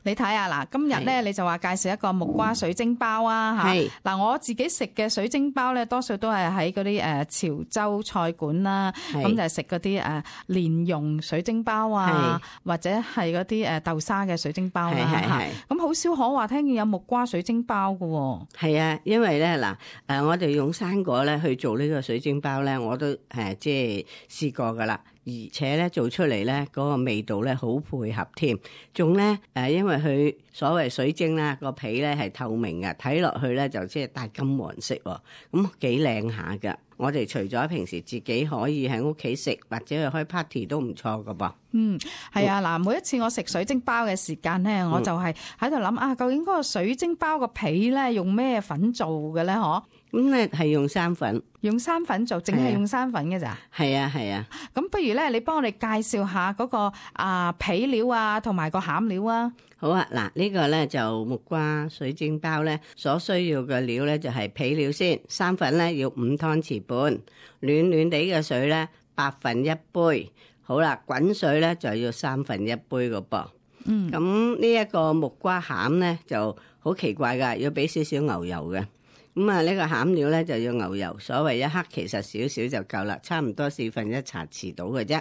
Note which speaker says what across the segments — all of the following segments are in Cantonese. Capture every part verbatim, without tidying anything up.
Speaker 1: 你睇下嗱，今日咧你就話介紹一個木瓜水晶包啊嚇。嗱，我自己食嘅水晶包咧，多數都係喺嗰啲誒潮州菜館啦，咁就係食嗰啲誒蓮蓉水晶包啊，或者係嗰啲誒豆沙嘅水晶包啦嚇。咁好少可話聽見有木瓜水晶包㗎喎。係啊，
Speaker 2: 因為咧嗱誒，我哋用生果咧去做呢個水晶包咧，我都誒即係試過㗎啦。而且咧做出嚟咧嗰個味道咧好配合添，仲咧誒，因為佢所謂水晶啦，個皮咧係透明嘅，睇落去咧就即係帶金黃色喎，咁幾靚下㗎。我哋除咗平時自己可以喺屋企食，或者去開 party 都唔錯㗎噃。
Speaker 1: 嗯，係啊，嗱，每一次我食水晶包嘅時間咧，我就係喺度諗啊，究竟嗰個水晶包個皮咧用咩粉做嘅咧？嗬？
Speaker 2: 咁咧係用生粉，
Speaker 1: 用生粉做，淨係用生粉嘅咋？
Speaker 2: 係啊係啊。
Speaker 1: 咁不如咧，你幫我哋介紹下嗰個啊皮料啊，同埋個餡料啊。
Speaker 2: 好啊，嗱，呢個咧就木瓜水晶包咧，所需要嘅料咧就係皮料先，生粉咧要五湯匙半，暖暖地嘅水咧八分一杯。好啦，滾水咧就要三分一杯個噃。嗯，咁呢一個木瓜餡咧就好奇怪噶，要俾少少牛油嘅。咁啊，呢個餡料咧就要牛油，所謂一克其實少少就夠啦，差唔多四分一茶匙到嘅啫。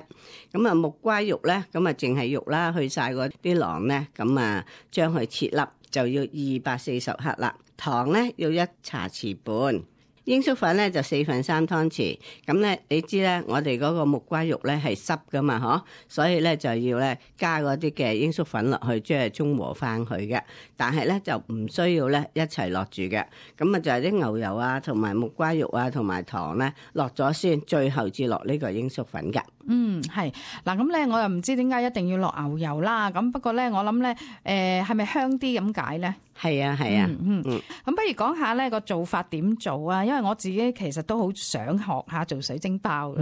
Speaker 2: 咁啊，木瓜肉咧，咁啊淨係肉啦，去晒嗰啲囊咧，咁啊將佢切粒就要二百四十克啦。糖咧要一茶匙半。鷹粟粉咧就四分三湯匙，咁咧你知咧，我哋嗰個木瓜肉咧係濕噶嘛，嗬，所以咧就要咧加嗰啲嘅鷹粟粉落去，即係中和翻佢嘅。但係咧就唔需要咧一齊落住嘅，咁啊就係啲牛油啊，同埋木瓜肉啊，同埋糖咧落咗先，最後至落呢個鷹粟粉噶。
Speaker 1: 嗯，係嗱，咁咧我又唔知點解一定要落牛油啦，咁不過咧我諗咧，誒係咪香啲咁解咧？
Speaker 2: 係啊係啊，
Speaker 1: 嗯嗯，咁不如講下咧個做法點做啊？因為我自己其實都好想學下做水晶包嘅。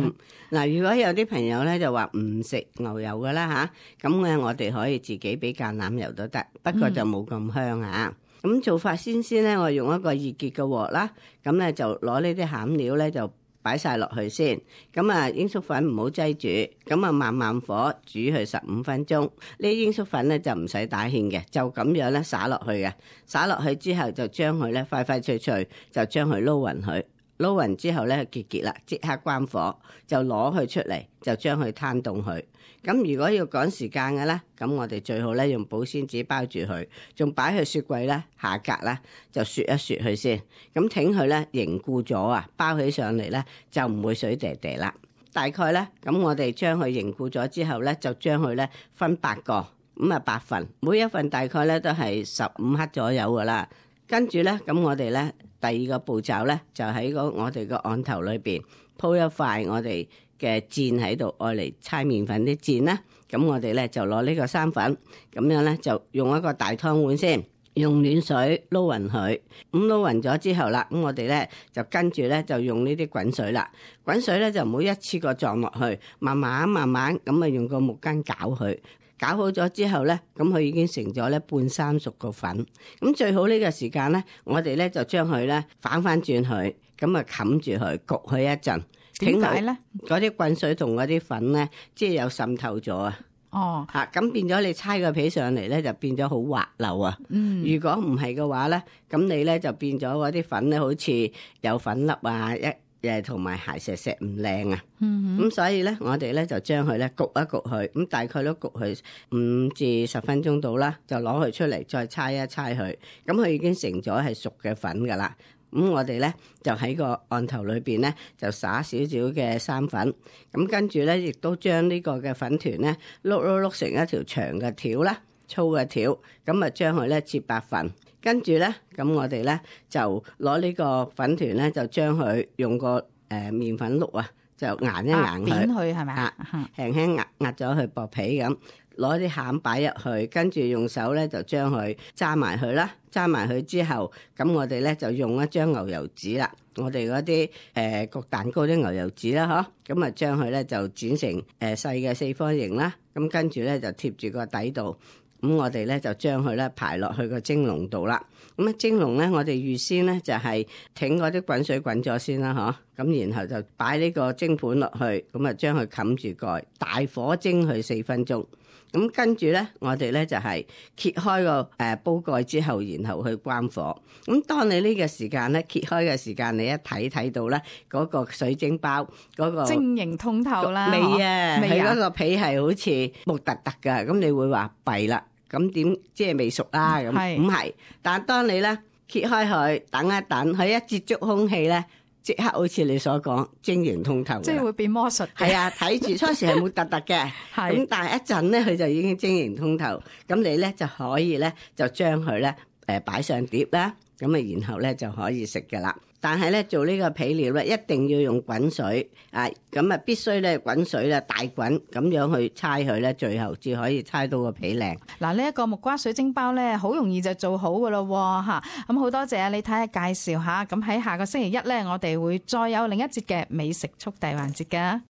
Speaker 2: 嗱、嗯，如果有啲朋友咧就話唔食牛油噶啦吓，咁咧我哋可以自己俾橄欖油都得，不過就冇咁香啊。咁、嗯、做法先先咧，我用一個易潔嘅鑊啦，咁咧就攞呢啲餡料咧就擺晒落去先，咁啊鷹粟粉唔好擠住，咁啊慢慢火煮佢十五分鐘。呢啲鷹粟粉咧就唔使打芡嘅，就咁樣咧灑落去嘅，灑落去之後就將佢咧快快脆脆就將佢撈勻佢，撈勻之後咧結結啦，即刻關火就攞佢出嚟，就將佢攤凍佢。咁如果要趕時間嘅咧，咁我哋最好咧用保鮮紙包住佢，仲擺去雪櫃咧下格咧就雪一雪佢先，咁挺佢咧凝固咗啊，包起上嚟咧就唔會水嗲嗲啦。大概咧咁我哋將佢凝固咗之後咧，就將佢咧分八個，咁啊八份，每一份大概咧都係十五克左右噶啦。跟住咧咁我哋咧第二個步驟咧就喺個我哋個案頭裏邊鋪一塊我哋嘅墊喺度，愛嚟搓麵粉啲墊啦。咁我哋咧就攞呢個生粉，咁樣咧就用一個大湯碗先，用暖水撈勻佢。咁撈勻咗之後啦，咁我哋咧就跟住咧就用呢啲滾水啦。滾水咧就唔好一次過撞落去，慢慢慢慢咁啊用個木羹攪佢。搞好咗之後咧，咁佢已經成咗咧半生熟個粉。咁最好呢個時間咧，我哋咧就將佢咧反翻轉佢，咁啊冚住佢，焗佢一陣。點解咧？嗰啲滾水同嗰啲粉咧，即係有滲透咗啊！哦，嚇咁變咗你搓個皮上嚟咧，就變咗好滑溜啊！嗯，如果唔係嘅話咧，咁你咧就變咗嗰啲粉咧，好似有粉粒啊一。誒同埋鞋石石唔靚啊，咁、嗯、所以咧，我哋咧就將佢咧焗一焗佢，咁大概都焗佢五至十分鐘到啦，就攞佢出嚟再搓一搓佢，咁佢已經成咗係熟嘅粉噶啦。咁我哋咧就喺個案頭裏邊咧就撒少少嘅生粉，咁跟住咧亦都將呢個嘅粉團咧碌碌碌成一條長嘅條啦，粗嘅條，咁啊將佢咧切八份。跟住咧，咁我哋咧就攞呢個粉團咧，就將佢用個誒麵粉碌啊，就壓一壓佢，
Speaker 1: 扁佢係咪啊？
Speaker 2: 輕輕壓壓咗佢薄皮咁，攞啲餡擺入去，跟住用手咧就將佢揸埋佢啦，揸埋佢之後，咁我哋咧就用一張牛油紙啦，我哋嗰啲誒焗蛋糕啲牛油紙啦，嗬，咁啊將佢咧就剪成誒細嘅四方形啦，咁跟住咧就貼住個底度。咁我哋咧就將佢咧排落去個蒸籠度啦。咁啊蒸籠咧，我哋預先咧就係挺嗰啲滾水滾咗先啦，嗬。咁然後就擺呢個蒸盤落去，咁啊將佢冚住蓋，大火蒸佢四分鐘。咁跟住咧，我哋咧就係揭開個誒煲蓋之後，然後去關火。咁當你呢個時間咧揭開嘅時間，你一睇睇到咧嗰個水晶包嗰個
Speaker 1: 晶瑩通透啦，
Speaker 2: 未啊？佢嗰個皮係好似木突突噶，咁你會話弊啦。咁點即係未熟啦？咁唔係，但係當你咧揭開佢，等一等，佢一接觸空氣咧。即刻好似你所講晶瑩通透，
Speaker 1: 即係會變魔術。
Speaker 2: 係啊，睇住初時係冇突突嘅，咁但係一陣咧佢就已經晶瑩通透，咁你咧就可以咧就將佢咧誒擺上碟啦，咁啊然後咧就可以食㗎啦。但係咧做呢個皮料咧一定要用滾水啊，咁啊必須咧滾水咧大滾咁樣去搓佢咧，最後至可以搓到個皮靚。
Speaker 1: 嗱，呢一個木瓜水晶包咧好容易就做好㗎咯嚇，咁好多謝啊你睇下介紹下，咁喺下個星期一咧我哋會再有另一節嘅美食速遞環節㗎。